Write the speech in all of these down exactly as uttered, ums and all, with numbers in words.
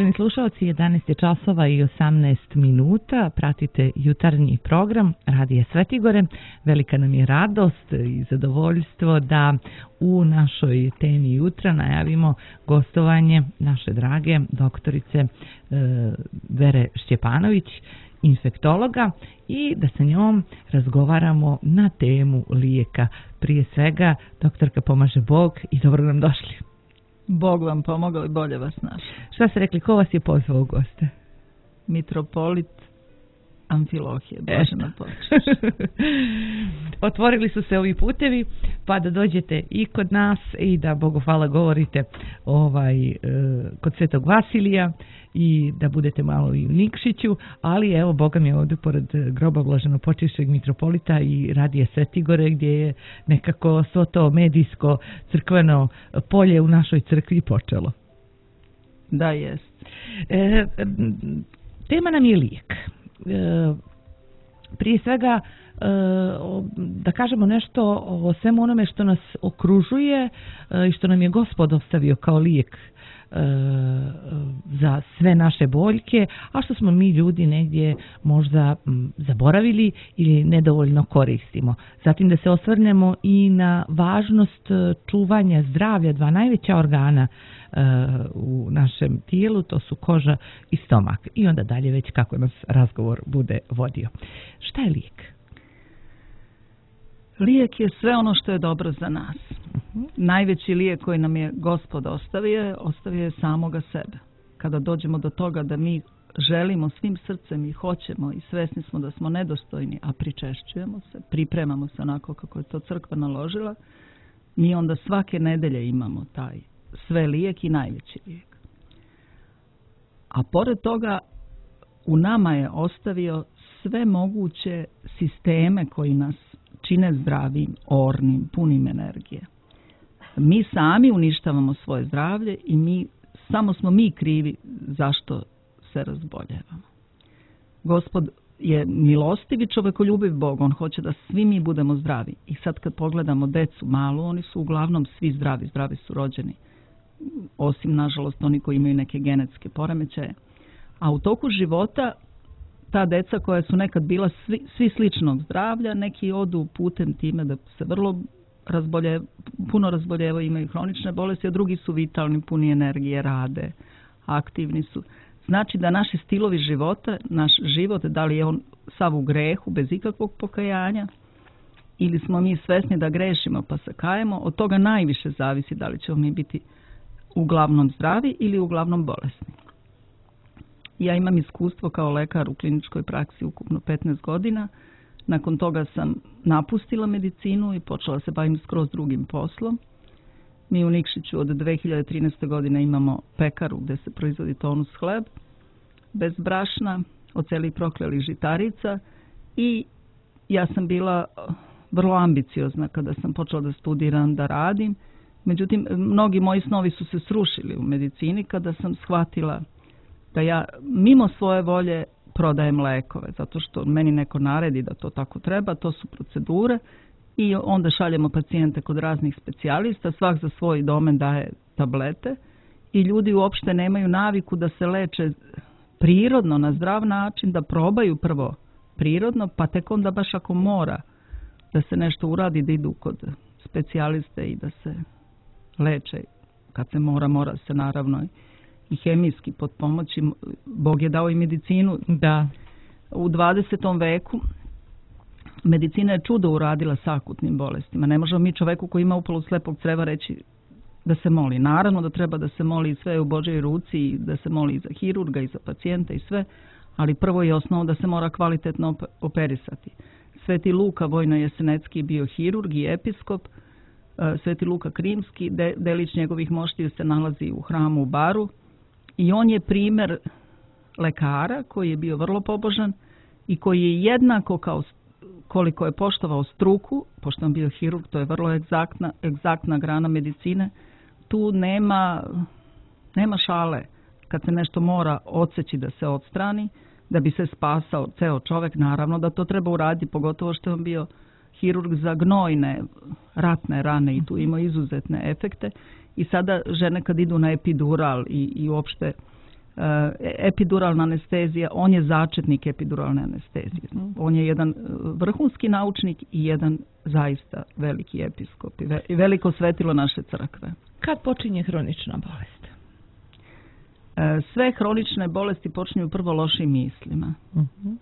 Poštovani slušalci, jedanaest je časova i osamnaest minuta. Pratite jutarnji program Radija Svetigore. Velika nam je radost i zadovoljstvo da u našoj temi jutra najavimo gostovanje naše drage doktorice e, Vere Šćepanović, infektologa, i da sa njom razgovaramo na temu lijeka. Prije svega, doktorka, pomaže Bog i dobro nam došli. Bog vam pomogao i bolje vas našao. Šta ste rekli, ko vas je pozvao u goste? Mitropolit Amfilohije, Bože na počeš. Otvorili su se ovi putevi, pa da dođete i kod nas i da, Bogu hvala, govorite ovaj, e, kod Svetog Vasilija i da budete malo i u Nikšiću, ali evo, Boga mi je ovdje pored groba blaženopočivšeg mitropolita i Radija Svetigore, gdje je nekako svo to medijsko crkveno polje u našoj crkvi počelo. Da, jest. E, tema nam je lijek. E, prije svega e, da kažemo nešto o svemu onome što nas okružuje e, i što nam je Gospod ostavio kao lijek e, za sve naše boljke, a što smo mi ljudi negdje možda m, zaboravili ili nedovoljno koristimo. Zatim da se osvrnemo i na važnost čuvanja zdravlja dva najveća organa u našem tijelu, to su koža i stomak. I onda dalje već kako nas razgovor bude vodio. Šta je lijek? Lijek je sve ono što je dobro za nas. Uh-huh. Najveći lijek koji nam je Gospod ostavio, ostavio je samoga sebe. Kada dođemo do toga da mi želimo svim srcem i hoćemo i svesni smo da smo nedostojni, a pričešćujemo se, pripremamo se onako kako je to crkva naložila, mi onda svake nedelje imamo taj sve lijek i najveći lijek. A pored toga u nama je ostavio sve moguće sisteme koji nas čine zdravim, ornim, punim energije. Mi sami uništavamo svoje zdravlje i mi, samo smo mi krivi zašto se razboljevamo. Gospod je milostiv i čovekoljubiv Bog, on hoće da svi mi budemo zdravi. I sad kad pogledamo decu malu, oni su uglavnom svi zdravi, zdravi su rođeni. Osim, nažalost, oni koji imaju neke genetske poremećaje. A u toku života ta deca koja su nekad bila svi, svi sličnog zdravlja, neki odu putem time da se vrlo razbolje, puno razboljevaju, imaju hronične bolesti, a drugi su vitalni, puni energije, rade, aktivni su. Znači da naši stilovi života, naš život, da li je on sav u grehu, bez ikakvog pokajanja, ili smo mi svesni da grešimo pa se kajemo, od toga najviše zavisi da li ćemo mi biti uglavnom zdravi ili uglavnom bolesni. Ja imam iskustvo kao lekar u kliničkoj praksi ukupno petnaest godina. Nakon toga sam napustila medicinu i počela se bavim skroz drugim poslom. Mi u Nikšiću od dve hiljade trinaeste. godine imamo pekaru gdje se proizvodi tonus hleb, bez brašna, od celih proklelih žitarica, i ja sam bila vrlo ambiciozna kada sam počela da studiram, da radim. Međutim, mnogi moji snovi su se srušili u medicini kada sam shvatila da ja mimo svoje volje prodajem lekove, zato što meni neko naredi da to tako treba, to su procedure, i onda šaljemo pacijente kod raznih specijalista, svak za svoj domen daje tablete i ljudi uopšte nemaju naviku da se leče prirodno, na zdrav način, da probaju prvo prirodno, pa tek onda baš ako mora da se nešto uradi, da idu kod specijaliste i da se leče. Kad se mora, mora se naravno i hemijski potpomoći. Bog je dao i medicinu. Da. U dvadesetom veku medicina je čudo uradila s akutnim bolestima. Ne možemo mi čoveku koji ima upalu slepog creva reći da se moli. Naravno da treba da se moli, sve u Božjoj ruci, i da se moli i za hirurga i za pacijenta i sve, ali prvo je osnovno da se mora kvalitetno operisati. Sveti Luka Vojno-Jesenecki bio hirurg i episkop. Sveti Luka Krimski, de, delić njegovih moštiju, se nalazi u hramu u Baru, i on je primjer lekara koji je bio vrlo pobožan i koji je jednako kao koliko je poštovao struku, pošto on bio hirurg, to je vrlo egzaktna, egzaktna grana medicine, tu nema, nema šale. Kad se nešto mora odseći da se odstrani, da bi se spasao ceo čovek, naravno da to treba uraditi, pogotovo što je on bio hirurg za gnojne ratne rane i tu ima izuzetne efekte. I sada žene kad idu na epidural i, i uopšte epiduralna anestezija, on je začetnik epiduralne anestezije. On je jedan vrhunski naučnik i jedan zaista veliki episkop i veliko svetilo naše crkve. Kad počinje hronična bolest? Sve hronične bolesti počinju prvo lošim mislima. Uh-huh.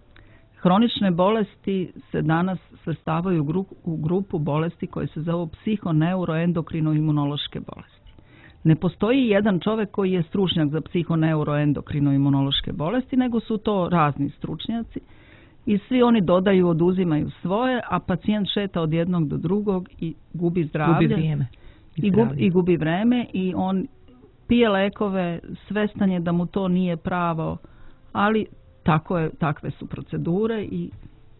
Hronične bolesti se danas svrstavaju u, gru, u grupu bolesti koje se zovu psihoneuroendokrino-imunološke bolesti. Ne postoji jedan čovjek koji je stručnjak za psihoneuroendokrino-imunološke bolesti, nego su to razni stručnjaci i svi oni dodaju, oduzimaju svoje, a pacijent šeta od jednog do drugog i gubi zdravlje. Gubi vrijeme. I, gub, i gubi vreme i on pije lekove, svestan je da mu to nije pravo, ali tako je, takve su procedure i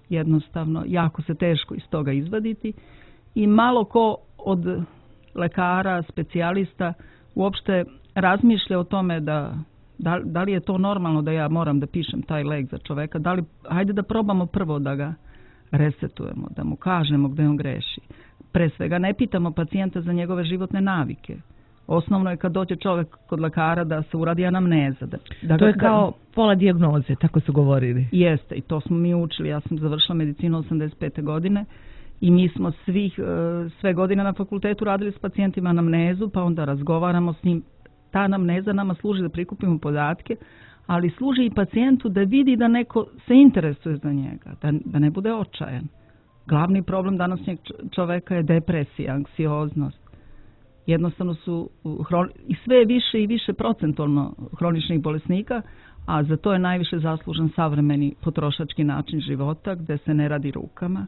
jednostavno jako se teško iz toga izvaditi i malo ko od lekara, specijalista uopšte razmišlja o tome da, da, da li je to normalno da ja moram da pišem taj lek za čoveka, da li, hajde da probamo prvo da ga resetujemo, da mu kažemo gde on greši. Pre svega ne pitamo pacijenta za njegove životne navike. Osnovno je kad dođe čovjek kod lekara da se uradi anamneza. Da, da to ga, je kao da, pola dijagnoze, tako su govorili. Jeste, i to smo mi učili. Ja sam završila medicinu osamdeset pete godine i mi smo svih, sve godine na fakultetu radili s pacijentima anamnezu, pa onda razgovaramo s njim. Ta anamneza nama služi da prikupimo podatke, ali služi i pacijentu da vidi da neko se interesuje za njega, da, da ne bude očajan. Glavni problem današnjeg čoveka je depresija, anksioznost. Jednostavno su i sve više i više procentualno hroničnih bolesnika, a za to je najviše zaslužen savremeni potrošački način života gdje se ne radi rukama,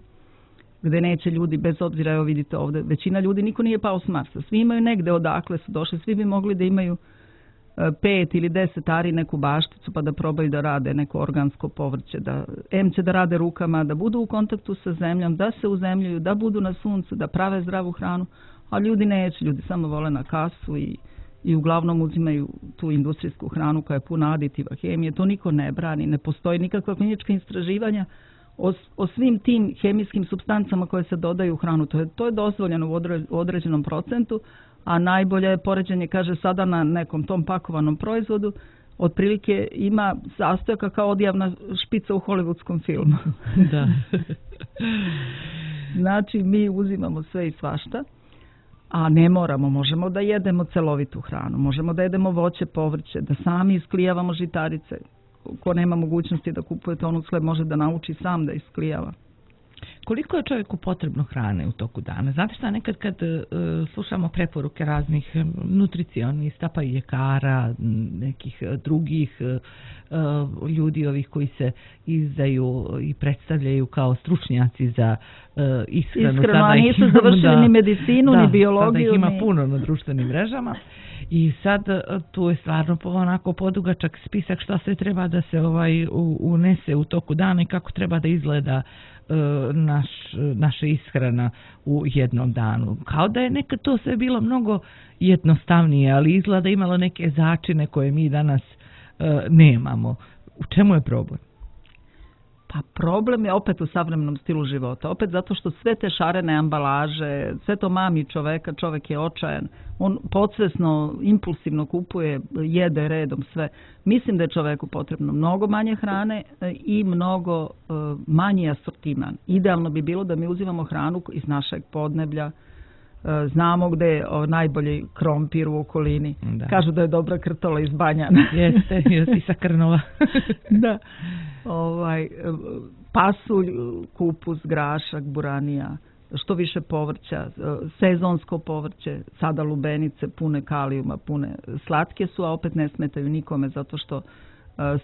gdje neće ljudi, bez obzira, evo vidite ovdje, većina ljudi, niko nije pao s Marsa, svi imaju negde odakle su došli, svi bi mogli da imaju pet ili deset ari neku bašticu pa da probaju da rade neko organsko povrće, da em će da rade rukama, da budu u kontaktu sa zemljom, da se uzemljuju, da budu na suncu, da prave zdravu hranu, a ljudi neće, ljudi samo vole na kasu i, i uglavnom uzimaju tu industrijsku hranu koja je puna aditiva, hemije, to niko ne brani, ne postoji nikakva klinička istraživanja o, o svim tim hemijskim supstancama koje se dodaju u hranu, to je, to je dozvoljeno u, odre, u određenom procentu, a najbolje je poređenje, kaže, sada na nekom tom pakovanom proizvodu, otprilike ima sastojaka kao odjavna špica u hollywoodskom filmu. Da. Znači, mi uzimamo sve i svašta, a ne moramo, možemo da jedemo celovitu hranu, možemo da jedemo voće, povrće, da sami isklijavamo žitarice. Ko nema mogućnosti da kupuje tonu hleb, može da nauči sam da isklijava. Koliko je čovjeku potrebno hrane u toku dana? Znate šta, nekad kad uh, slušamo preporuke raznih nutricionista, pa i ljekara, nekih drugih uh, ljudi ovih koji se izdaju i predstavljaju kao stručnjaci za uh, ishranu. Ishranu, a nisu završili da, ni medicinu, da, ni biologiju. Sada ih ima ni... puno na društvenim mrežama. I sad tu je stvarno onako podugačak spisak šta sve treba da se ovaj unese u toku dana i kako treba da izgleda naš, naša ishrana u jednom danu. Kao da je nekad to sve bilo mnogo jednostavnije, ali izgleda imalo neke začine koje mi danas uh, nemamo. U čemu je problem? Pa problem je opet u savremenom stilu života. Opet zato što sve te šarene ambalaže, sve to mami čoveka, čovek je očajan. On podsvesno, impulsivno kupuje, jede redom sve. Mislim da je čoveku potrebno mnogo manje hrane i mnogo uh, manji asortiman. Idealno bi bilo da mi uzimamo hranu iz našeg podneblja. Znamo gde je najbolji krompir u okolini. Da. Kažu da je dobra krtola iz Banjana. Jeste, jeste sa Krnova. Da. Ovaj, pasulj, kupus, grašak, buranija, što više povrća, sezonsko povrće, sada lubenice pune kalijuma, pune slatke su, a opet ne smetaju nikome zato što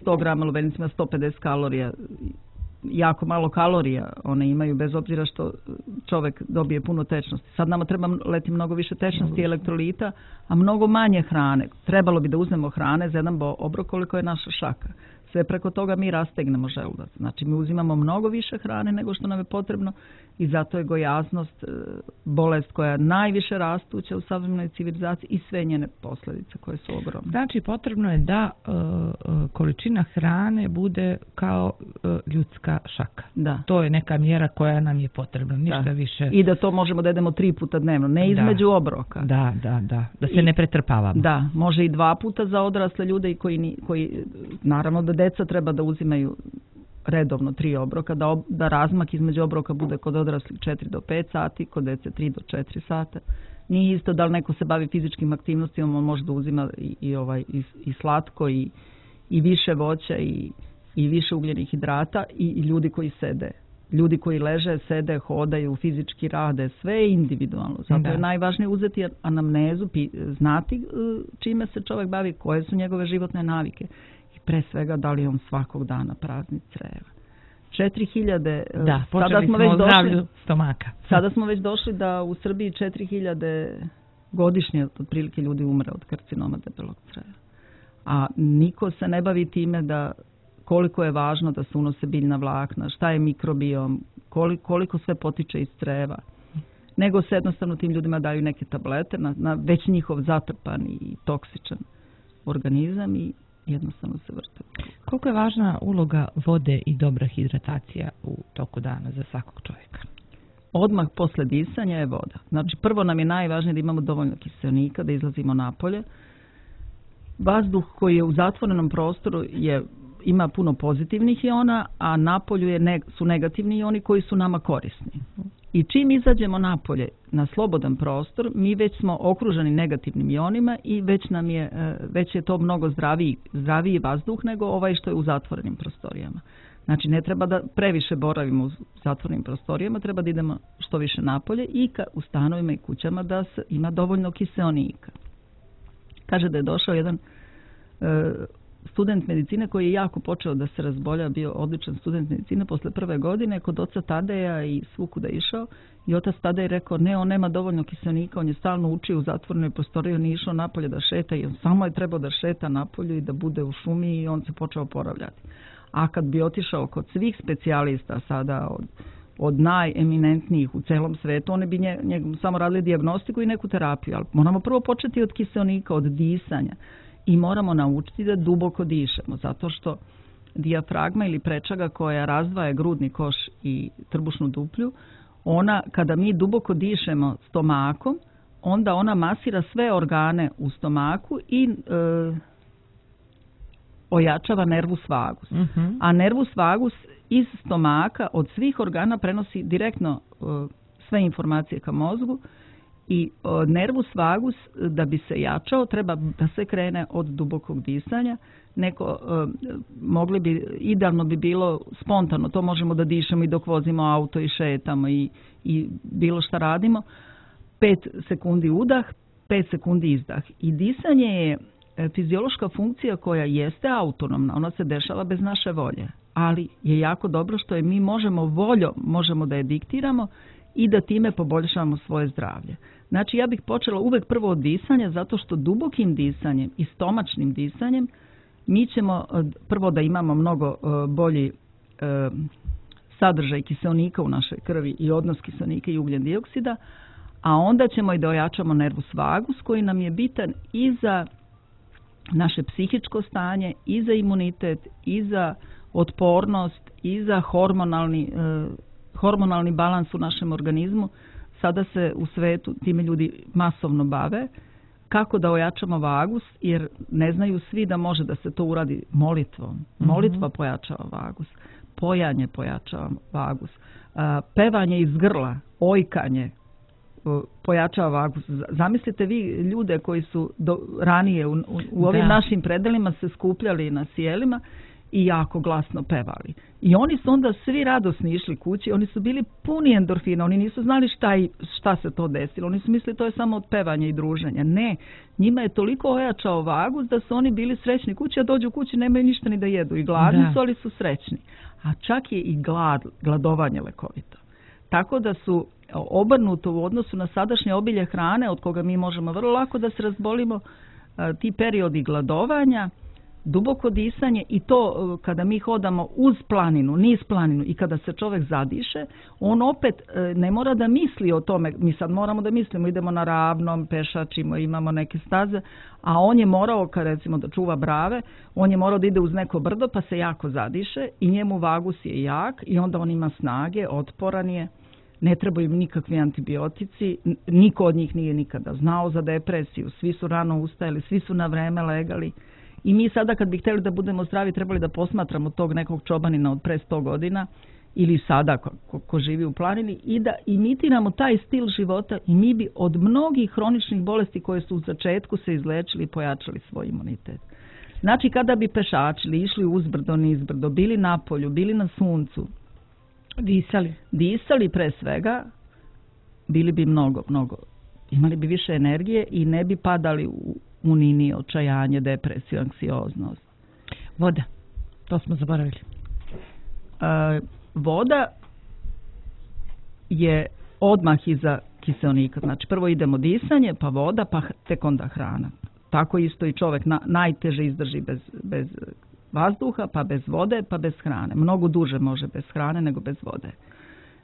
sto grama lubenice ima sto pedeset kalorija, jako malo kalorija one imaju, bez obzira što čovjek dobije puno tečnosti. Sad nama treba leti mnogo više tečnosti i elektrolita, a mnogo manje hrane. Trebalo bi da uzmemo hrane za jedan obrok koliko je naša šaka. sve preko toga mi rastegnemo želudac. Znači mi uzimamo mnogo više hrane nego što nam je potrebno i zato je gojaznost bolest koja je najviše rastuća u savremenoj civilizaciji i sve njene posljedice koje su ogromne. Znači potrebno je da uh, količina hrane bude kao uh, ljudska šaka. Da. To je neka mjera koja nam je potrebna, ništa da. više. I da to možemo da jedemo tri puta dnevno, ne između da. obroka. Da, da, da. Da se I, ne pretrpavamo. Da, može i dva puta za odrasle ljude koji, koji naravno da deca treba da uzimaju redovno tri obroka, da, ob, da razmak između obroka bude kod odraslih četiri do pet sati, kod dece tri do četiri sata. Nije isto da li neko se bavi fizičkim aktivnostima, on može da uzima i, i, ovaj, i, i slatko i, i više voća i, i više ugljenih hidrata i, i ljudi koji sede. Ljudi koji leže, sede, hodaju, fizički rade, sve je individualno. Zato da. je najvažnije uzeti anamnezu, znati čime se čovjek bavi, koje su njegove životne navike. Pre svega da li on svakog dana prazni creva. četiri hiljade Da, počeli sada smo, smo već o zdravlju došli, stomaka. Sada smo već došli da u Srbiji četiri hiljade godišnje otprilike ljudi umre od karcinoma debelog creva. A niko se ne bavi time da koliko je važno da se unose biljna vlakna, šta je mikrobiom, koliko, koliko sve potiče iz creva. Nego se jednostavno tim ljudima daju neke tablete na, na već njihov zatrpan i toksičan organizam i jednostavno se vrte. Koliko je važna uloga vode i dobra hidratacija u toku dana za svakog čovjeka? Odmah posle disanja je voda. Znači prvo nam je najvažnije da imamo dovoljno kiseonika, da izlazimo napolje. Vazduh koji je u zatvorenom prostoru je, ima puno pozitivnih iona, a napolju je ne, su negativni ioni koji su nama korisni. I čim izađemo napolje na slobodan prostor, mi već smo okruženi negativnim ionima i već nam je, već je to mnogo zdraviji, zdraviji vazduh nego ovaj što je u zatvorenim prostorijama. Znači ne treba da previše boravimo u zatvorenim prostorijama, treba da idemo što više napolje i ka, u stanovima i kućama da se ima dovoljno kiseonika. Kaže da je došao jedan e, student medicine koji je jako počeo da se razbolja, bio odličan student medicine posle prve godine, kod oca Tadeja i svukuda išao i otac Tadej rekao ne, on nema dovoljno kiseonika, on je stalno učio u zatvorenoj prostoriji, on nije išao napolje da šeta i on samo je trebao da šeta napolju i da bude u šumi i on se počeo oporavljati. A kad bi otišao kod svih specijalista sada od, od najeminentnijih u celom svetu, oni bi nje, nje, samo radili dijagnostiku i neku terapiju, ali moramo prvo početi od kiseonika, od disanja. I moramo naučiti da duboko dišemo, zato što dijafragma ili prečaga koja razdvaja grudni koš i trbušnu duplju, ona kada mi duboko dišemo stomakom, onda ona masira sve organe u stomaku i e, ojačava nervus vagus. Mm-hmm. A nervus vagus iz stomaka od svih organa prenosi direktno e, sve informacije ka mozgu. I o, nervus vagus da bi se jačao treba da se krene od dubokog disanja. Neko o, mogli bi, idealno bi bilo spontano, to možemo da dišemo i dok vozimo auto i šetamo i, i bilo šta radimo. Pet sekundi udah, pet sekundi izdah. I disanje je fiziološka funkcija koja jeste autonomna, ona se dešava bez naše volje, ali je jako dobro što je mi možemo voljom, možemo da je diktiramo i da time poboljšavamo svoje zdravlje. Znači ja bih počela uvek prvo od disanja zato što dubokim disanjem i stomačnim disanjem mi ćemo prvo da imamo mnogo bolji sadržaj kiseonika u našoj krvi i odnos kiseonika i ugljen dioksida, a onda ćemo i da ojačamo nervus vagus koji nam je bitan i za naše psihičko stanje, i za imunitet, i za otpornost, i za hormonalni hormonalni balans u našem organizmu. Sada se u svetu time ljudi masovno bave. Kako da ojačamo vagus, jer ne znaju svi da može da se to uradi molitvom. Molitva mm-hmm. pojačava vagus. Pojanje pojačava vagus. Pevanje iz grla, ojkanje pojačava vagus. Zamislite vi ljude koji su do, ranije u, u, u ovim da. našim predelima se skupljali na sjelima i jako glasno pevali. I oni su onda svi radosni išli kući, oni su bili puni endorfina, oni nisu znali šta, i, šta se to desilo, oni su mislili to je samo od pevanja i druženja. Ne, njima je toliko ojačao vagus da su oni bili srećni kući, a dođu u kući nemaju ništa ni da jedu i gladni da. su, ali su srećni. A čak je i glad, gladovanje lekovito. Tako da su obrnuto u odnosu na sadašnje obilje hrane, od koga mi možemo vrlo lako da se razbolimo, ti periodi gladovanja Duboko disanje i to kada mi hodamo uz planinu, niz planinu i kada se čovjek zadiše, on opet ne mora da misli o tome, mi sad moramo da mislimo, idemo na ravnom, pešačimo, imamo neke staze, a on je morao, kad recimo da čuva brave, on je morao da ide uz neko brdo pa se jako zadiše i njemu vagus je jak i onda on ima snage, otporan je. Ne trebaju im nikakvi antibiotici, niko od njih nije nikada znao za depresiju, svi su rano ustajali, svi su na vreme legali. I mi sada kad bi htjeli da budemo zdravi trebali da posmatramo tog nekog čobanina od pre sto godina ili sada ko, ko, ko živi u planini i da imitiramo taj stil života i mi bi od mnogih hroničnih bolesti koje su u začetku se izlečili i pojačali svoj imunitet. Znači kada bi pešačili, išli uzbrdo, nizbrdo, bili na polju, bili na suncu, disali, disali pre svega, bili bi mnogo, mnogo, imali bi više energije i ne bi padali u unini, očajanje, depresiju, anksioznost. Voda, to smo zaboravili. E, voda je odmah iza kiseonika. Znači prvo idemo disanje, pa voda, pa tek onda hrana. Tako isto i čovjek na, najteže izdrži bez, bez vazduha, pa bez vode, pa bez hrane. Mnogo duže može bez hrane nego bez vode.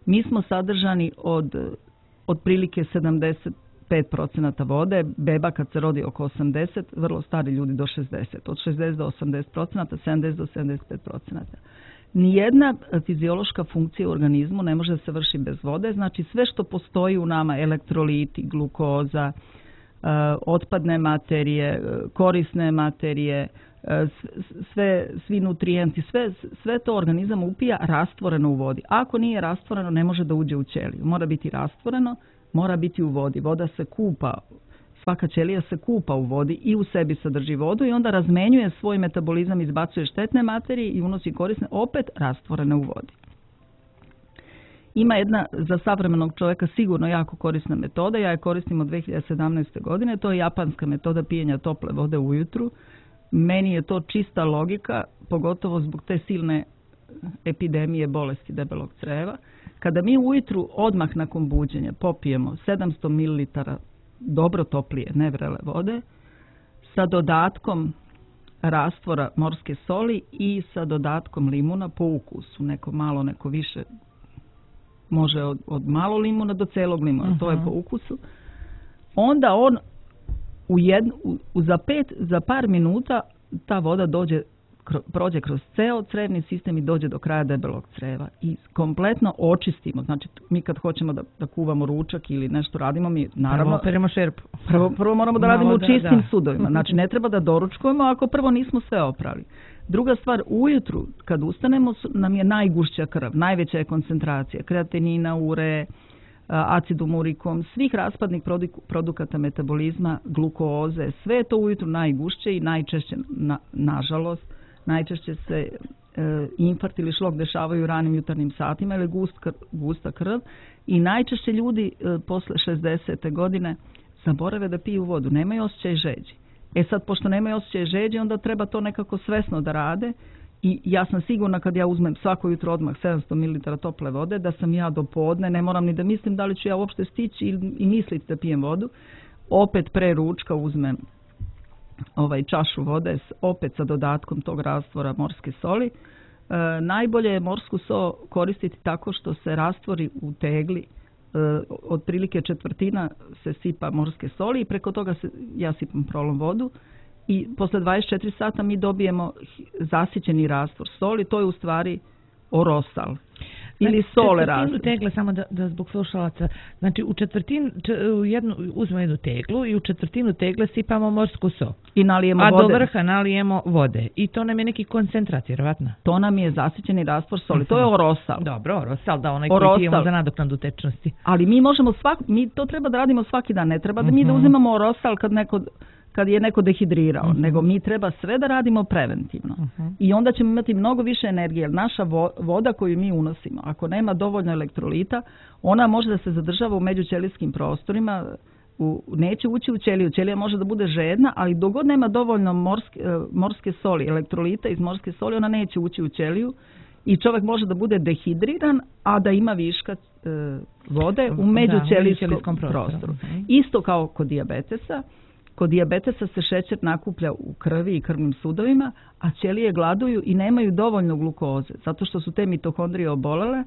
Mi smo sadržani od otprilike sedamdeset pet procenata vode, beba kad se rodi oko osamdeset, vrlo stari ljudi do šezdeset, od šezdeset do osamdeset procenata, sedamdeset do sedamdeset pet procenata. Nijedna fiziološka funkcija u organizmu ne može da se vrši bez vode, znači sve što postoji u nama, elektroliti, glukoza, otpadne materije, korisne materije, sve, svi nutrijenti, sve, sve to organizam upija rastvoreno u vodi. Ako nije rastvoreno, ne može da uđe u ćeliju. Mora biti rastvoreno, mora biti u vodi. Voda se kupa, svaka ćelija se kupa u vodi i u sebi sadrži vodu i onda razmenjuje svoj metabolizam, izbacuje štetne materije i unosi korisne, opet rastvorene u vodi. Ima jedna za savremenog čovjeka sigurno jako korisna metoda, ja je koristim od dve hiljade sedamnaeste. godine, to je japanska metoda pijenja tople vode ujutru. Meni je to čista logika, pogotovo zbog te silne epidemije bolesti debelog creva. Kada mi ujutru odmah nakon buđenja popijemo sedamsto mililitara dobro toplije, ne vrele vode, sa dodatkom rastvora morske soli i sa dodatkom limuna po ukusu, neko malo, neko više, može od, od malo limuna do celog limuna, uh-huh. To je po ukusu, onda on u jednu, u, za, pet, za par minuta ta voda dođe, kro, prođe kroz ceo crevni sistem i dođe do kraja debelog creva i kompletno očistimo. Znači mi kad hoćemo da, da kuvamo ručak ili nešto radimo, mi naravno prvo, šerpu. prvo, prvo moramo da radimo voda, u čistim da. sudovima. Znači ne treba da doručkujemo ako prvo nismo sve oprali. Druga stvar, ujutru kad ustanemo nam je najgušća krv, najveća je koncentracija kreatinina, ure, acidum urikom, svih raspadnih produkata metabolizma, glukoze, sve je to ujutru najgušće i najčešće, na, nažalost, najčešće se e, infarkt ili šlok dešavaju u ranim jutarnjim satima ili gust, kr, gusta krv i najčešće ljudi e, posle šezdesete. godine zaborave da piju vodu, nemaju osjećaj žeđi. E sad, pošto nemaju osjećaj žeđi, onda treba to nekako svesno da rade i ja sam sigurna kad ja uzmem svako jutro odmah sedamsto mililitara tople vode, da sam ja do podne, ne moram ni da mislim da li ću ja uopšte stići i, i misliti da pijem vodu, opet pre ručka uzmem ovaj čašu vode, opet sa dodatkom tog rastvora morske soli. E, najbolje je morsku so koristiti tako što se rastvori u tegli, e, otprilike četvrtina se sipa morske soli i preko toga se, ja sipam prolom vodu i posle dvadeset četiri sata mi dobijemo zasićeni rastvor soli, to je u stvari orosal. Ili sole rastvor. Tegle, samo da, da zbog slušalaca, znači u četvrtinu, u jednu, uzmemo jednu teglu i u četvrtinu tegle sipamo morsku so. I nalijemo a vode. A do vrha nalijemo vode. I to nam je neki koncentrat, vjerovatno. To nam je zasićeni rastvor soli. Uh-huh. To je orosal. Dobro, orosal, da onaj orosal. Koji pijemo za nadoknadu tečnosti. Ali mi možemo svak, mi to treba da radimo svaki dan. Ne treba da uh-huh. mi da uzimamo orosal kad neko... kad je neko dehidrirao, uh-huh. nego mi treba sve da radimo preventivno. Uh-huh. I onda ćemo imati mnogo više energije, jer naša vo, voda koju mi unosimo, ako nema dovoljno elektrolita, ona može da se zadržava u međućelijskim prostorima, u, neće ući u ćeliju. Ćelija može da bude žedna, ali dok god nema dovoljno morske, morske soli, elektrolita iz morske soli, ona neće ući u ćeliju i čovjek može da bude dehidriran, a da ima viška e, vode u međućelijskom prostoru. prostoru. Uh-huh. Isto kao kod dijabetesa, Kod dijabetesa se šećer nakuplja u krvi i krvnim sudovima, a ćelije gladuju i nemaju dovoljno glukoze, zato što su te mitohondrije obolele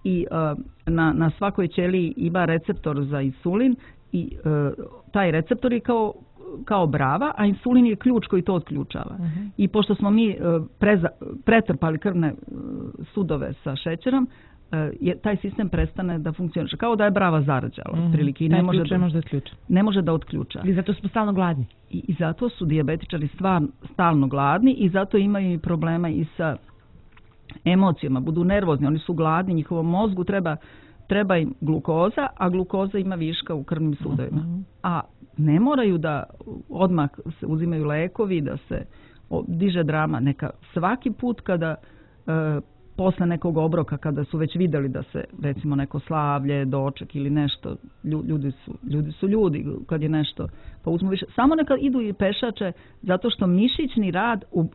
i uh, na, na svakoj ćeliji ima receptor za insulin i uh, taj receptor je kao, kao brava, a insulin je ključ koji to otključava. Uh-huh. I pošto smo mi uh, preza, pretrpali krvne uh, sudove sa šećerom, je, taj sistem prestane da funkcioniše. Kao da je brava zarađala. Mm, prilike, i ne može, da, može da otključa. Ne može da otključa. I zato smo stalno gladni. I, i zato su dijabetičari stvar, stalno gladni i zato imaju i problema i sa emocijama. Budu nervozni, oni su gladni, njihovom mozgu treba, treba im glukoza, a glukoza ima viška u krvnim sudovima. Mm-hmm. A ne moraju da odmah se uzimaju lekovi, da se diže drama. Neka svaki put kada e, posle nekog obroka, kada su već vidjeli da se recimo neko slavlje, doček ili nešto, ljudi su ljudi, su ljudi kad je nešto, pa uzmu više. Samo neka idu i pešače, zato što mišićni rad, uh,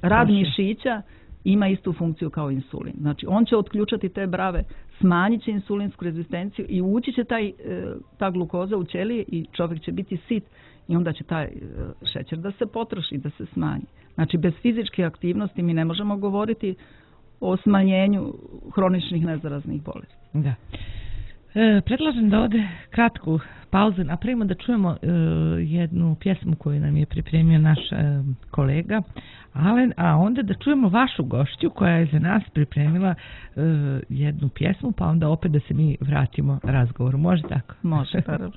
rad mišića ima istu funkciju kao insulin. Znači, on će otključati te brave, smanjit će insulinsku rezistenciju i ući će taj, ta glukoza u ćelije i čovjek će biti sit i onda će taj šećer da se potroši, da se smanji. Znači, bez fizičke aktivnosti mi ne možemo govoriti o smanjenju hroničnih nezaraznih bolesti. Da. E, predlažem da ovdje kratku pauzu napravimo da čujemo e, jednu pjesmu koju nam je pripremio naš e, kolega Alen, a onda da čujemo vašu gošću koja je za nas pripremila e, jednu pjesmu, pa onda opet da se mi vratimo razgovoru. Može tako? Može, naravno.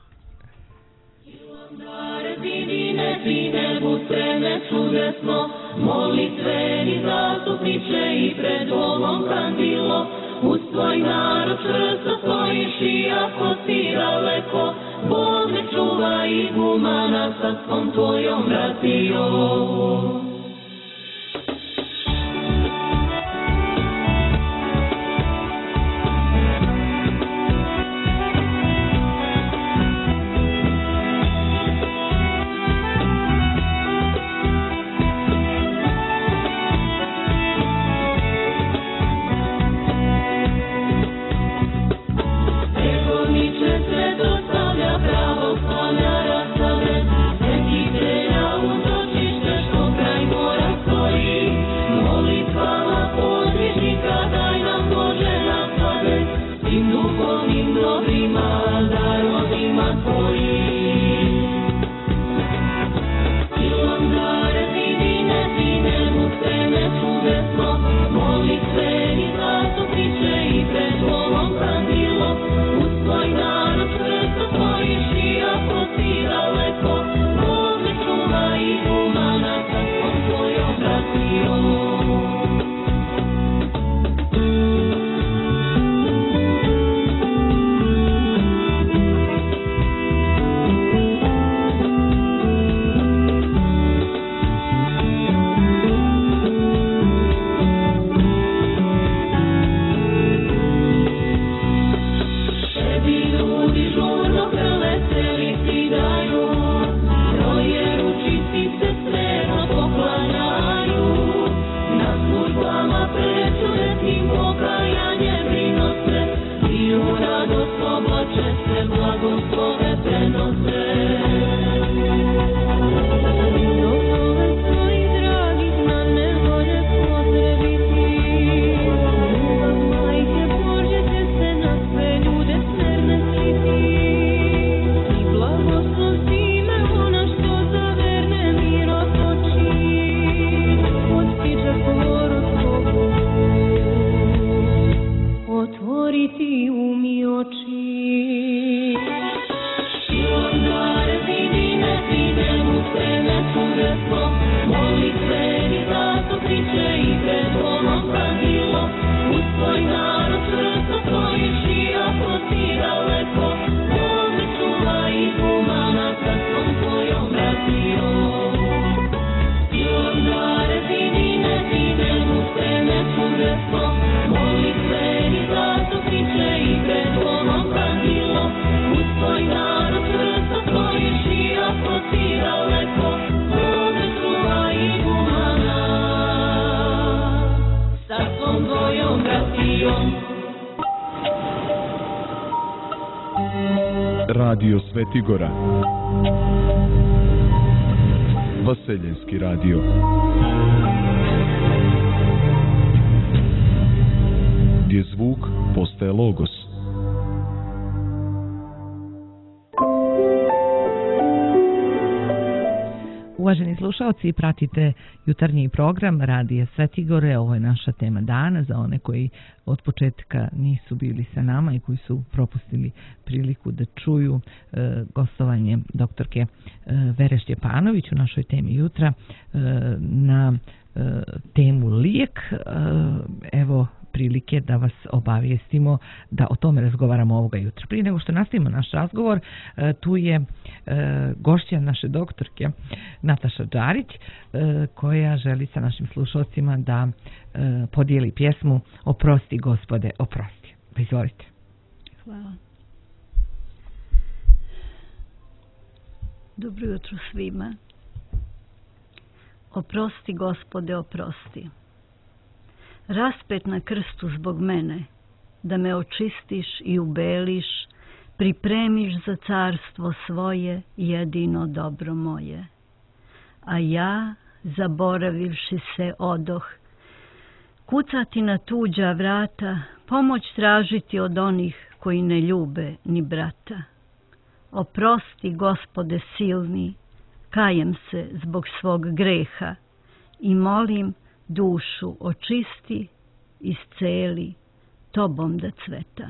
Zidine, zine, busene, čude smo, molitveni zastupniče i pred ovom kandilo, uz tvoj narod čvrsto stojiš i ako si daleko, Bog ne čuva i gumana sa svom tvojom bratijom. Radio Svetigora. Vaseljenski radio. Gdje zvuk postaje logos. Uvaženi slušalci, pratite jutarnji program Radija Svetigore. Ovo je naša tema dana za one koji od početka nisu bili sa nama i koji su propustili priliku da čuju e, gostovanje doktorke e, Vere Šćepanović u našoj temi jutra e, na e, temu lijek. E, evo prilike da vas obavijestimo da o tome razgovaramo ovoga jutra. Prije nego što nastavimo naš razgovor, tu je gošća naše doktorke Nataša Đarić, koja želi sa našim slušalcima da podijeli pjesmu Oprosti Gospode, oprosti. Pa izvolite. Hvala. Dobro jutro svima. Oprosti Gospode, oprosti. Raspet na krstu zbog mene, da me očistiš i ubeliš, pripremiš za carstvo svoje, jedino dobro moje. A ja, zaboravivši se, odoh, kucati na tuđa vrata, pomoć tražiti od onih koji ne ljube ni brata. Oprosti, Gospode silni, kajem se zbog svog greha i molim, dušu očisti, isceli, tobom da cveta.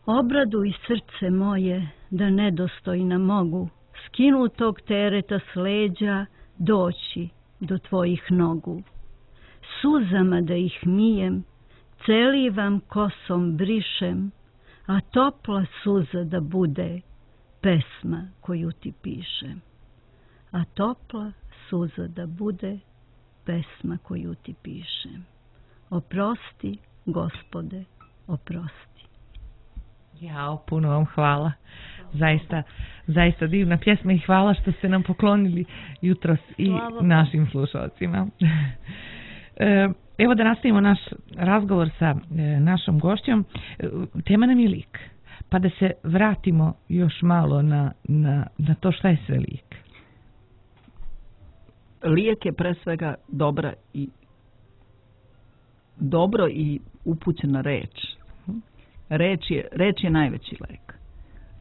Obraduj srce moje, da nedostojna mogu skinutog tereta s leđa doći do tvojih nogu. Suzama da ih mijem, celivam kosom brišem, a topla suza da bude pesma koju ti pišem. A topla suza da bude pesma koju ti pišem. Oprosti, Gospode, oprosti. Jao, puno vam hvala. Zaista, zaista divna pjesma i hvala što ste nam poklonili jutros i Slavo našim slušalcima. Evo da nastavimo naš razgovor sa našom gošćom. Tema nam je lijek. Pa da se vratimo još malo na, na, na to šta je sve lijek. Lijek je pre svega dobra i dobro i upućena reč. Reč je, reč je najveći lek.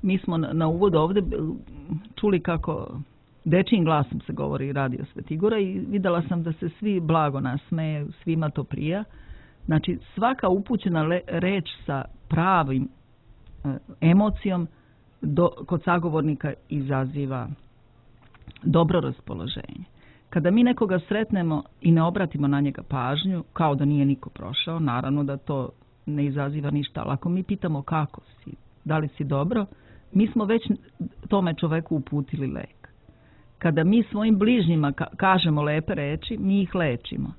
Mi smo na, na uvodu ovdje čuli kako dečijim glasom se govori Radio Svetigora i vidjela sam da se svi blago nasmeje, svima to prija. Znači svaka upućena le, reč sa pravim e, emocijom do, kod sagovornika izaziva dobro raspoloženje. Kada mi nekoga sretnemo i ne obratimo na njega pažnju, kao da nije niko prošao, naravno da to ne izaziva ništa, ali ako mi pitamo kako si, da li si dobro, mi smo već tome čoveku uputili lek. Kada mi svojim bližnjima ka- kažemo lepe reči, mi ih lečimo.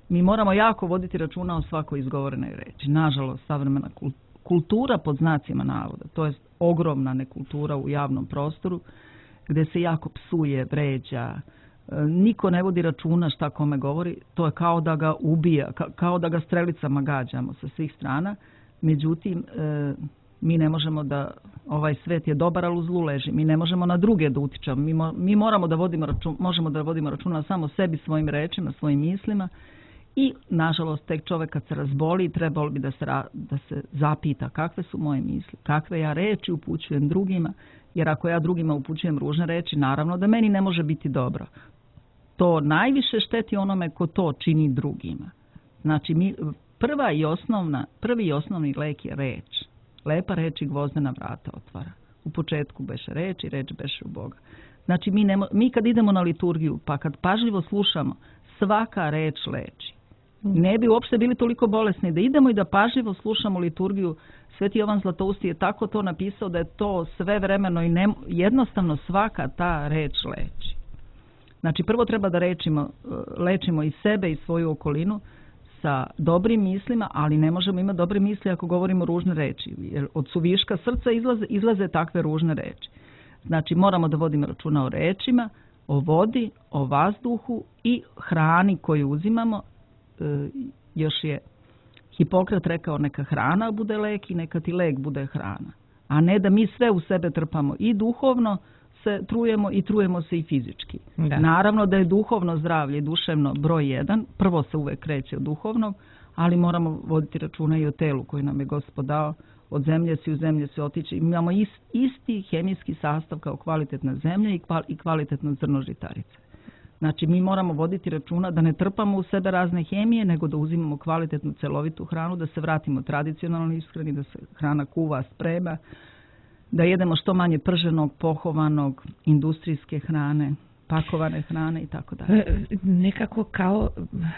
Mi moramo jako voditi računa o svakoj izgovorenoj reči. Nažalost, savremena kultura pod znacima navoda, to je ogromna nekultura u javnom prostoru, gdje se jako psuje, vređa, niko ne vodi računa šta kome govori, to je kao da ga ubija, kao da ga strelicama gađamo sa svih strana. Međutim, mi ne možemo da, ovaj svet je dobar, ali u zlu leži. Mi ne možemo na druge da utičamo. Mi, mo, mi moramo da vodimo račun, možemo da vodimo računa samo sebi, svojim rečima, svojim mislima. I, nažalost, tek čovjek kad se razboli, trebalo bi da se, da se zapita kakve su moje misli, kakve ja reči upućujem drugima, jer ako ja drugima upućujem ružne reči, naravno da meni ne može biti dobro. To najviše šteti onome ko to čini drugima. Znači, mi, prva i osnovna, prvi i osnovni lek je reč. Lepa reč i gvozdena vrata otvara. U početku beše reč i reč beše u Boga. Znači, mi, ne, mi kad idemo na liturgiju, pa kad pažljivo slušamo, svaka reč leči. Ne bi uopšte bili toliko bolesni da idemo i da pažljivo slušamo liturgiju. Sveti Jovan Zlatousti je tako to napisao da je to sve vremeno i ne, jednostavno svaka ta reč leči. Znači, prvo treba da rečimo, lečimo i sebe i svoju okolinu sa dobrim mislima, ali ne možemo imati dobre misli ako govorimo ružne reči. Jer od suviška srca izlaze, izlaze takve ružne reči. Znači, moramo da vodimo računa o rečima, o vodi, o vazduhu i hrani koju uzimamo. E, još je Hipokrat rekao neka hrana bude lek i neka ti lek bude hrana. a ne da mi sve u sebe trpamo i duhovno se trujemo i trujemo se i fizički. Da. Naravno da je duhovno zdravlje i duševno broj jedan, prvo se uvek kreće od duhovnog, ali moramo voditi računa i o telu koji nam je Gospod dao, od zemlje si u zemlje se otići. Imamo ist, isti hemijski sastav kao kvalitetna zemlja i, kval, i kvalitetno zrno žitarice. Znači mi moramo voditi računa da ne trpamo u sebe razne hemije, nego da uzimamo kvalitetnu celovitu hranu, da se vratimo tradicionalnoj ishrani, da se hrana kuva, sprema, da jedemo što manje prženog, pohovanog, industrijske hrane, pakovane hrane i tako dalje. Nekako kao...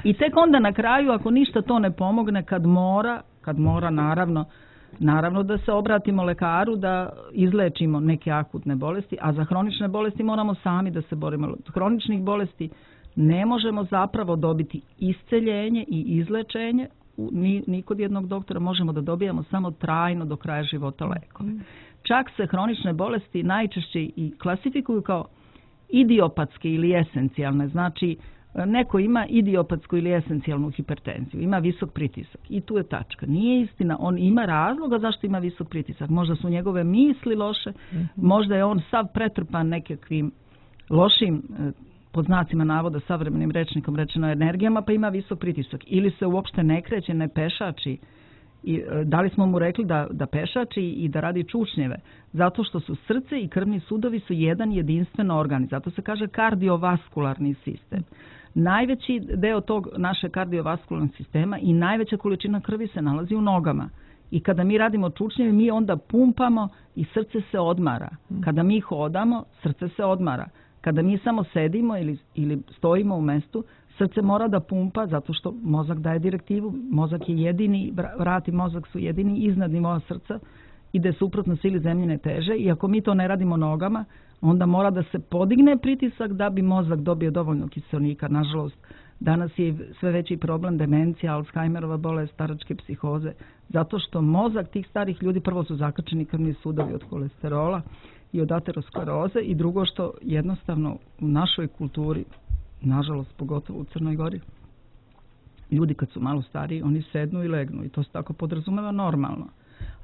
I tek onda na kraju, ako ništa to ne pomogne, kad mora, kad mora naravno, naravno da se obratimo lekaru, da izlečimo neke akutne bolesti, a za hronične bolesti moramo sami da se borimo. Od hroničnih bolesti ne možemo zapravo dobiti isceljenje i izlečenje, ni, ni kod jednog doktora, možemo da dobijamo samo trajno do kraja života lekove. Čak se hronične bolesti najčešće i klasifikuju kao idiopatske ili esencijalne. Znači, neko ima idiopatsku ili esencijalnu hipertenziju, ima visok pritisak i tu je tačka. Nije istina, on ima razloga zašto ima visok pritisak. Možda su njegove misli loše, mm-hmm. možda je on sav pretrpan nekakvim lošim, pod znacima navoda, savremenim rečnikom rečeno energijama, pa ima visok pritisak. Ili se uopšte ne kreće, ne pešači. I da li smo mu rekli da, da pešači i da radi čučnjeve? Zato što su srce i krvni sudovi su jedan jedinstven organ. Zato se kaže kardiovaskularni sistem. Najveći deo tog naše kardiovaskularnog sistema i najveća količina krvi se nalazi u nogama. I kada mi radimo čučnjeve, mi onda pumpamo i srce se odmara. Kada mi hodamo, srce se odmara. Kada mi samo sedimo ili, ili stojimo u mestu, srce mora da pumpa zato što mozak daje direktivu. Mozak je jedini, vrat i mozak su jedini iznad nivoa srca, ide suprotno sili zemljine teže i ako mi to ne radimo nogama, onda mora da se podigne pritisak da bi mozak dobio dovoljno kiseonika. Nažalost, danas je sve veći problem demencija, Alzheimerova bolest, staračke psihoze, zato što mozak tih starih ljudi, prvo su zakačeni krvni sudovi od kolesterola i od ateroskleroze i drugo što jednostavno u našoj kulturi, nažalost pogotovo u Crnoj Gori, ljudi kad su malo stariji, oni sednu i legnu i to se tako podrazumeva normalno.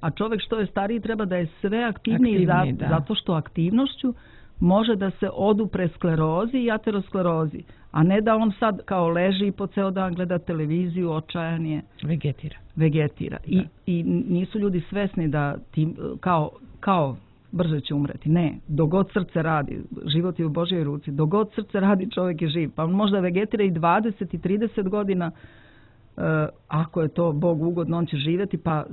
A čovjek što je stariji treba da je sve aktivniji, aktivniji za, zato što aktivnošću može da se odupre sklerozi i aterosklerozi, a ne da on sad kao leži i po ceo dan gleda televiziju, očajan je. Vegetira. Vegetira. I, I nisu ljudi svesni da tim, kao, kao brže će umreti. Ne, dogod srce radi, život je u Božjoj ruci, dogod srce radi čovjek je živ. Pa on možda vegetira i dvadeset i trideset godina, Uh, ako je to Bog ugodno, on će živjeti, pa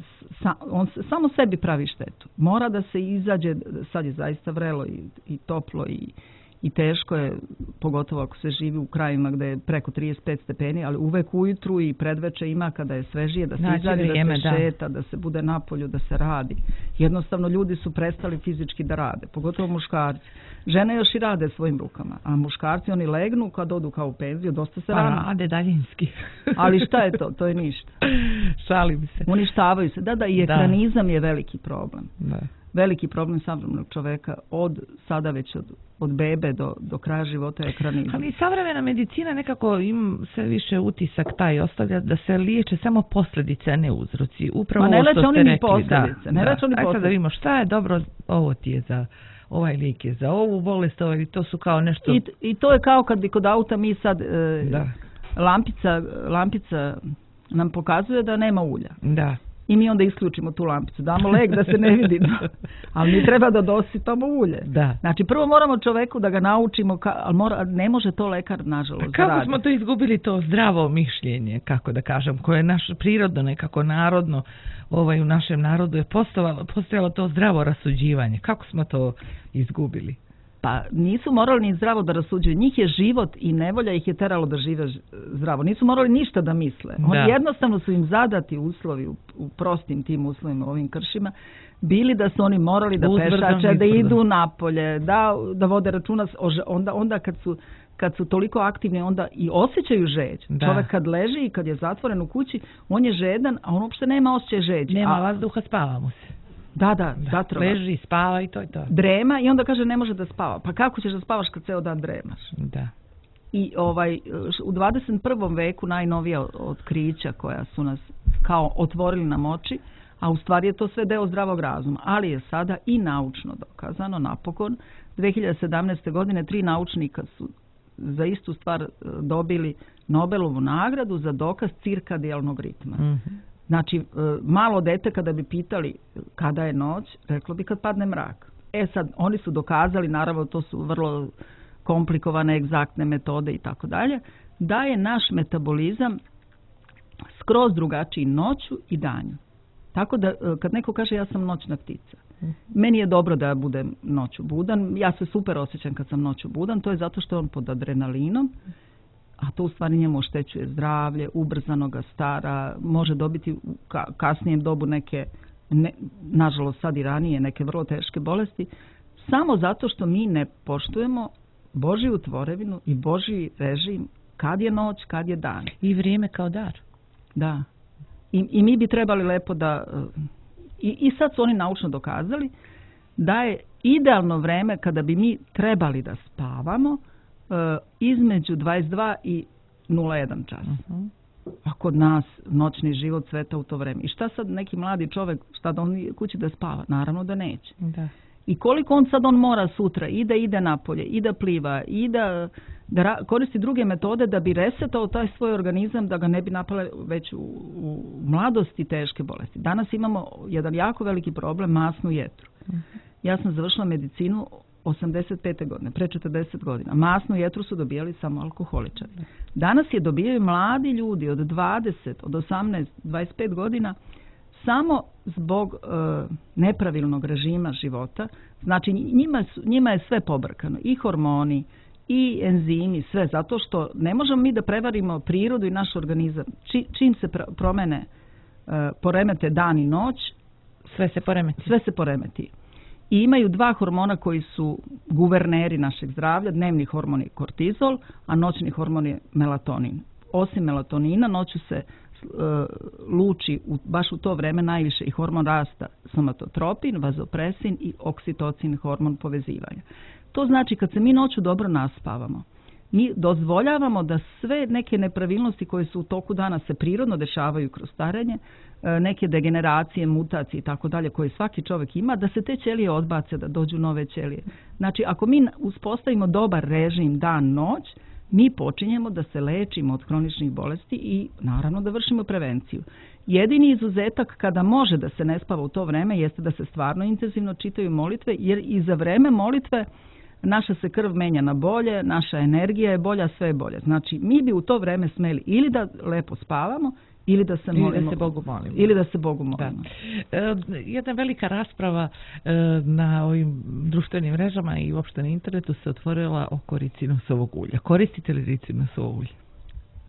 sa, on samo sebi pravi štetu. Mora da se izađe, sad je zaista vrelo i, i toplo i, i teško je, pogotovo ako se živi u krajima gdje je preko trideset pet stepeni, ali uvek ujutru i predveče ima kada je svežije, da se znači, izađe, vrijeme, da se da. šeta, da se bude napolju, da se radi. Jednostavno ljudi su prestali fizički da rade, pogotovo muškarci. Žene još i rade svojim rukama, a muškarci oni legnu kad odu kao u penziju, dosta se pa, rano. rade daljinski. Ali šta je to? To je ništa. Šalim se. Uništavaju se. Da, da, i ekranizam da. je veliki problem. Da. Veliki problem savremenog čoveka od sada već od, od bebe do, do kraja života je ekranizam. Ali savremena medicina nekako im sve više utisak taj ostavlja da se liječe samo posljedice, a ne uzroci. Upravo Ma ne leče oni ni posljedice. Da, ne leče oni posljedice. Da vidimo šta je dobro, ovo ti je za... ovaj lijek je za ovu bolest, ovaj, to su kao nešto... I, i to je kao kad bi kod auta mi sad e, da. lampica, lampica nam pokazuje da nema ulja. Da. I mi onda isključimo tu lampicu, damo lek da se ne vidi. Ali mi treba da dosipamo ulje. Da. Znači prvo moramo čoveku da ga naučimo, ka, ali mora, ne može to lekar nažalost. Kako radi. smo to izgubili, to zdravo mišljenje, kako da kažem, koje je naše prirodno, nekako narodno, ovaj, u našem narodu je postojalo, postojalo to zdravo rasuđivanje. Kako smo to izgubili? Pa nisu morali ni zdravo da rasuđuju. Njih je život i nevolja ih je teralo da žive zdravo. Nisu morali ništa da misle. Oni da. jednostavno su im zadati uslovi u, u prostim tim uslovima, ovim kršima, bili da su oni morali da Uzbrdom, pešače, da idu napolje, da, da vode računa. Onda, onda kad su kad su toliko aktivni, onda i osjećaju žeđ. Da. Čovjek kad leži i kad je zatvoren u kući, on je žedan, a on uopšte nema osjećaj žeđi. Nema a, vazduha, spava mu se. Da, da, da zatrova. Leži, spava i to je to. Drema i onda kaže ne može da spava. Pa kako ćeš da spavaš kad ceo dan dremaš? Da. I ovaj, u dvadeset prvom veku najnovija otkrića koja su nas kao otvorili nam oči, a u stvari je to sve deo zdravog razuma, ali je sada i naučno dokazano, napokon, dve hiljade sedamnaeste. godine tri naučnika su za istu stvar dobili Nobelovu nagradu za dokaz cirkadijalnog ritma. Mm-hmm. Znači, malo dete kada bi pitali kada je noć, reklo bi kad padne mrak. E sad, oni su dokazali, naravno to su vrlo komplikovane, egzaktne metode i tako dalje, da je naš metabolizam skroz drugačiji noću i danju. Tako da kad neko kaže ja sam noćna ptica, meni je dobro da ja budem noću budan, ja se super osjećam kad sam noću budan, to je zato što je on pod adrenalinom, a to u stvari njemu oštećuje zdravlje, ubrzano ga stara, može dobiti u kasnijem dobu neke, ne, nažalost sad i ranije, neke vrlo teške bolesti, samo zato što mi ne poštujemo Božju tvorevinu i Božji režim, kad je noć, kad je dan. I vrijeme kao dar. Da. I, i mi bi trebali lepo da... I, I sad su oni naučno dokazali da je idealno vreme kada bi mi trebali da spavamo uh, između dvadeset dva i nula jedan čas. Uh-huh. A kod nas noćni život cveta u to vreme. I šta sad neki mladi čovjek, šta da on kući da spava? Naravno da neće. Da. I koliko on sad on mora sutra i da ide napolje, i da pliva, i da, da ra, koristi druge metode da bi resetao taj svoj organizam, da ga ne bi napale već u, u mladosti teške bolesti. Danas imamo jedan jako veliki problem, masnu jetru. Uh-huh. Ja sam završila medicinu osamdeset pete. godine, pre četrdeset godina. Masnu jetru su dobijali samo alkoholičari. Danas je dobijaju mladi ljudi od dvadeset, od osamnaest, dvadeset pet godina samo zbog e, nepravilnog režima života. Znači njima, su, njima je sve pobrkano, i hormoni, i enzimi, sve, zato što ne možemo mi da prevarimo prirodu i naš organizam. Či, čim se pr- promene, e, poremete dan i noć, sve se poremeti. Sve se poremeti. I imaju dva hormona koji su guverneri našeg zdravlja, dnevni hormon je kortizol, a noćni hormon je melatonin. Osim melatonina, noću se uh, luči u, baš u to vreme najviše i hormon rasta, somatotropin, vazopresin i oksitocin, hormon povezivanja. To znači kad se mi noću dobro naspavamo, mi dozvoljavamo da sve neke nepravilnosti koje su u toku dana se prirodno dešavaju kroz starenje, neke degeneracije, mutacije i tako dalje koje svaki čovjek ima, da se te ćelije odbace, da dođu nove ćelije. Znači, ako mi uspostavimo dobar režim dan-noć, mi počinjemo da se lečimo od hroničnih bolesti i naravno da vršimo prevenciju. Jedini izuzetak kada može da se ne spava u to vreme jeste da se stvarno intenzivno čitaju molitve, jer i za vreme molitve naša se krv menja na bolje, naša energija je bolja, sve je bolje. Znači, mi bi u to vreme smeli ili da lepo spavamo, ili da se molimo, ili da se Bogu molimo. Ili da se Bogu molimo. Da. E, jedna velika rasprava e, na ovim društvenim mrežama i uopšte na internetu se otvorila oko ricinusovog ulja. Koristite li ricinusovo ulje?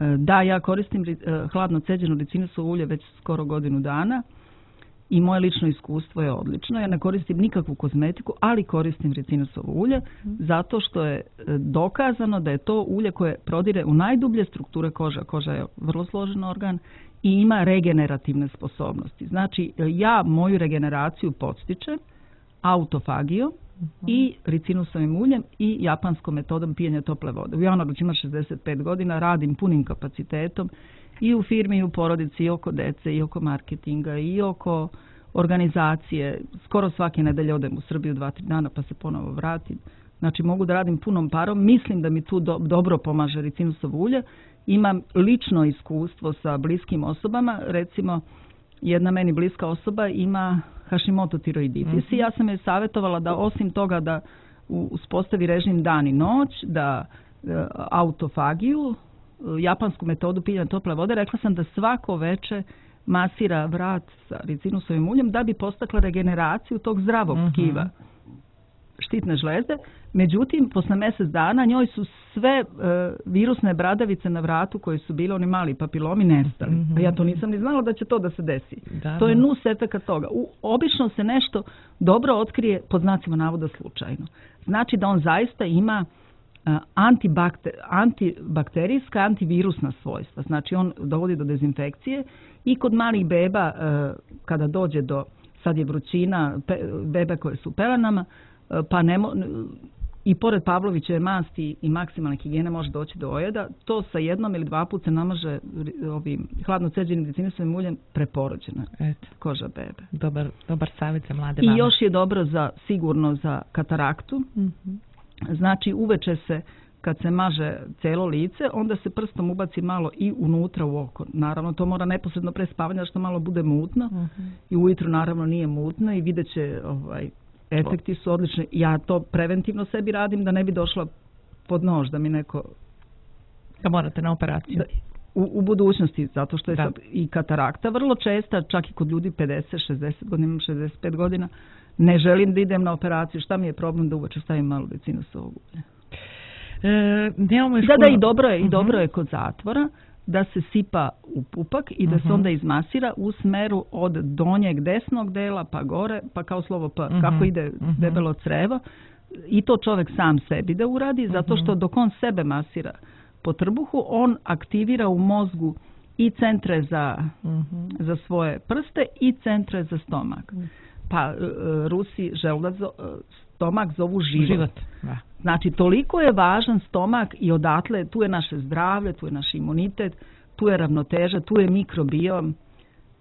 E, da, ja koristim e, hladno ceđeno ricinusovo ulje već skoro godinu dana i moje lično iskustvo je odlično. Ja ne koristim nikakvu kozmetiku, ali koristim ricinusovo ulje zato što je dokazano da je to ulje koje prodire u najdublje strukture kože. Koža je vrlo složen organ i ima regenerativne sposobnosti. Znači, ja moju regeneraciju podstičem autofagijom uh-huh. i ricinusovim uljem i japanskom metodom pijenja tople vode. U januaru ću imati šezdeset pet godina, radim punim kapacitetom i u firmi i u porodici, i oko dece, i oko marketinga, i oko organizacije. Skoro svake nedelje odem u Srbiju dva, tri dana pa se ponovo vratim. Znači mogu da radim punom parom. Mislim da mi tu do, dobro pomaže ricinusovo ulje. Imam lično iskustvo sa bliskim osobama. Recimo, jedna meni bliska osoba ima Hashimoto tiroiditis mm-hmm. i ja sam joj savjetovala da osim toga da uspostavi režim dan i noć, da e, autofagiju, japansku metodu pijenja tople vode, rekla sam da svako veče masira vrat sa ricinusovim uljem da bi postakla regeneraciju tog zdravog mm-hmm. tkiva štitne žlezde. Međutim, posle mjesec dana njoj su sve e, virusne bradavice na vratu koje su bile oni mali papilomi nestali. Mm-hmm. Ja to nisam ni znala da će to da se desi. Da, to je nus efekat toga. U, obično se nešto dobro otkrije pod znacima navoda slučajno. Znači da on zaista ima Antibakter, antibakterijska, antivirusna svojstva. Znači on dovodi do dezinfekcije i kod malih beba kada dođe do, sad je vrućina, bebe koje su u pelenama, pa ne mo, i pored Pavlovićeve masti i maksimalne higijene može doći do ojeda, to sa jednom ili dva puta se namaže ovim hladno ceđenim dicinisovim uljem preporođena Eto. koža bebe. Dobar, dobar savjet za mlade I mame. još je dobro za, sigurno za kataraktu. Mm-hmm. Znači uveče se kad se maže celo lice, onda se prstom ubaci malo i unutra u oko. Naravno, to mora neposredno pre spavanja što malo bude mutno. Mm-hmm. I ujutru naravno nije mutno i vidjet će, ovaj, efekti su odlični. Ja to preventivno sebi radim da ne bi došla pod nož, da mi neko... Da morate na operaciju. Da, u, u budućnosti, zato što je da. sad i katarakta vrlo česta, čak i kod ljudi pedeset šezdeset godina, imam šezdeset pet godina, ne želim da idem na operaciju. Šta mi je problem da uveče stavim malo dicinosovog ulja? E, nemamo još da, puno... da, i dobro je, uh-huh. i dobro je kod zatvora da se sipa u pupak i da uh-huh. se onda izmasira u smeru od donjeg desnog dela pa gore, pa kao slovo P, uh-huh. kako ide uh-huh. debelo crevo. I to čovjek sam sebi da uradi, zato što dok on sebe masira po trbuhu, on aktivira u mozgu i centre za, uh-huh. za svoje prste i centre za stomak. Uh-huh. Pa uh, Rusi želudazo, uh, stomak zovu život. život. Da. Znači, toliko je važan stomak i odatle, tu je naše zdravlje, tu je naš imunitet, tu je ravnoteža, tu je mikrobiom.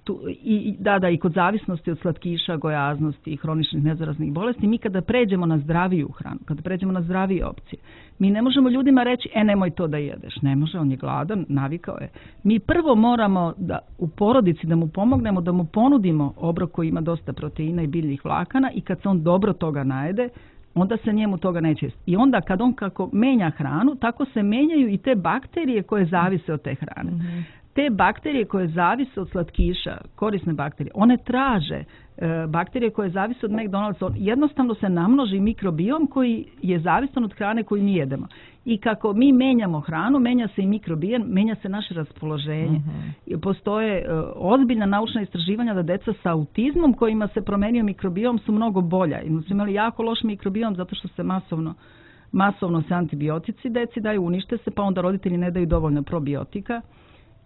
Tu, i, da, da, i kod zavisnosti od slatkiša, gojaznosti i hroničnih nezaraznih bolesti, mi kada pređemo na zdraviju hranu, kada pređemo na zdravije opcije, mi ne možemo ljudima reći, e, nemoj to da jedeš. Ne može, on je gladan, navikao je. Mi prvo moramo da u porodici da mu pomognemo, da mu ponudimo obrok koji ima dosta proteina i biljnih vlakana i kad se on dobro toga najede, onda se njemu toga neće. I onda kad on kako menja hranu, tako se menjaju i te bakterije koje zavise od te hrane. Mm-hmm. Te bakterije koje zavise od slatkiša, korisne bakterije, one traže e, bakterije koje zavise od McDonald'sa, jednostavno se namnoži mikrobiom koji je zavisan od hrane koju mi jedemo. I kako mi menjamo hranu, menja se i mikrobiom, menja se naše raspoloženje. Uh-huh. Postoje e, ozbiljna naučna istraživanja da deca sa autizmom kojima se promenio mikrobiom su mnogo bolja. I su imali jako loš mikrobiom zato što se masovno masovno se antibiotici deci daju, unište se, pa onda roditelji ne daju dovoljno probiotika.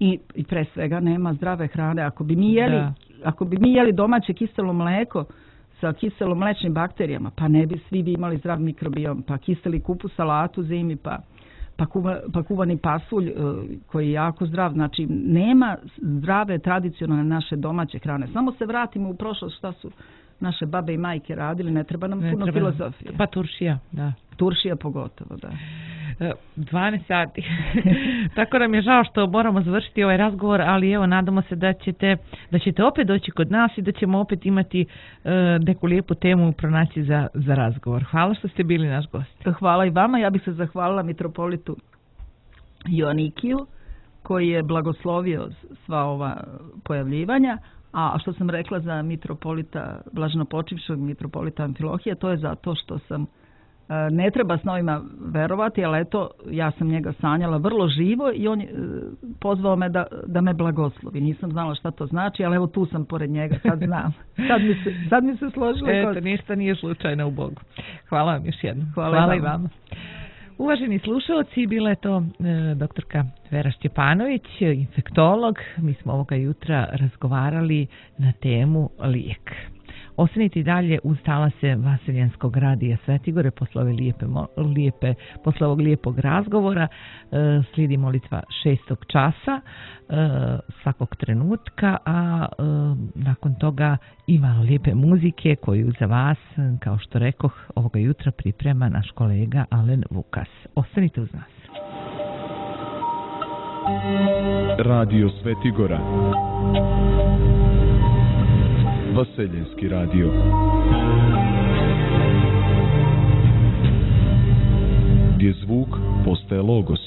I, i pre svega nema zdrave hrane. Ako bi mi jeli, ako bi mi jeli domaće kiselo mleko sa kiselo mlečnim bakterijama, pa ne bi svi bi imali zdrav mikrobiom, pa kiseli kupu salatu zimi, pa, pa, kuva, pa kuvani pasulj koji je jako zdrav. Znači, nema zdrave tradicionalne naše domaće hrane. Samo se vratimo u prošlost šta su naše babe i majke radili, ne treba nam ne puno treba, filozofije. Pa turšija, da. Turšija pogotovo, da. dvanaest sati. Tako nam je žao što moramo završiti ovaj razgovor, ali evo, nadamo se da ćete, da ćete opet doći kod nas i da ćemo opet imati uh, neku lijepu temu pronaći za, za razgovor. Hvala što ste bili naš gost. Hvala i vama. Ja bih se zahvalila mitropolitu Joanikiju koji je blagoslovio sva ova pojavljivanja. A što sam rekla za mitropolita, blaženopočivšeg mitropolita Amfilohija, to je zato što sam, ne treba s novima verovati, ali eto, ja sam njega sanjala vrlo živo i on je pozvao me da, da me blagoslovi. Nisam znala šta to znači, ali evo tu sam pored njega, sad znam. Sad mi se, sad mi se složilo. Eto, kod... ništa nije slučajno u Bogu. Hvala vam još jednom. Hvala, Hvala i vama. vama. Uvaženi slušalci, bila je to e, doktorka Vera Šćepanović, infektolog. Mi smo ovoga jutra razgovarali na temu lijek. Ostanite i dalje uz talase Vaseljenskog radija Svetigore posle ove lijepe, lijepe, posle ovog lijepog razgovora. E, slijedi molitva šestog časa e, svakog trenutka, a e, nakon toga i malo lijepe muzike koju za vas, kao što rekoh, ovoga jutra priprema naš kolega Alen Vukas. Ostanite uz nas. Radio Svetigora, Vaseljenski radio. Gdje zvuk postaje logos.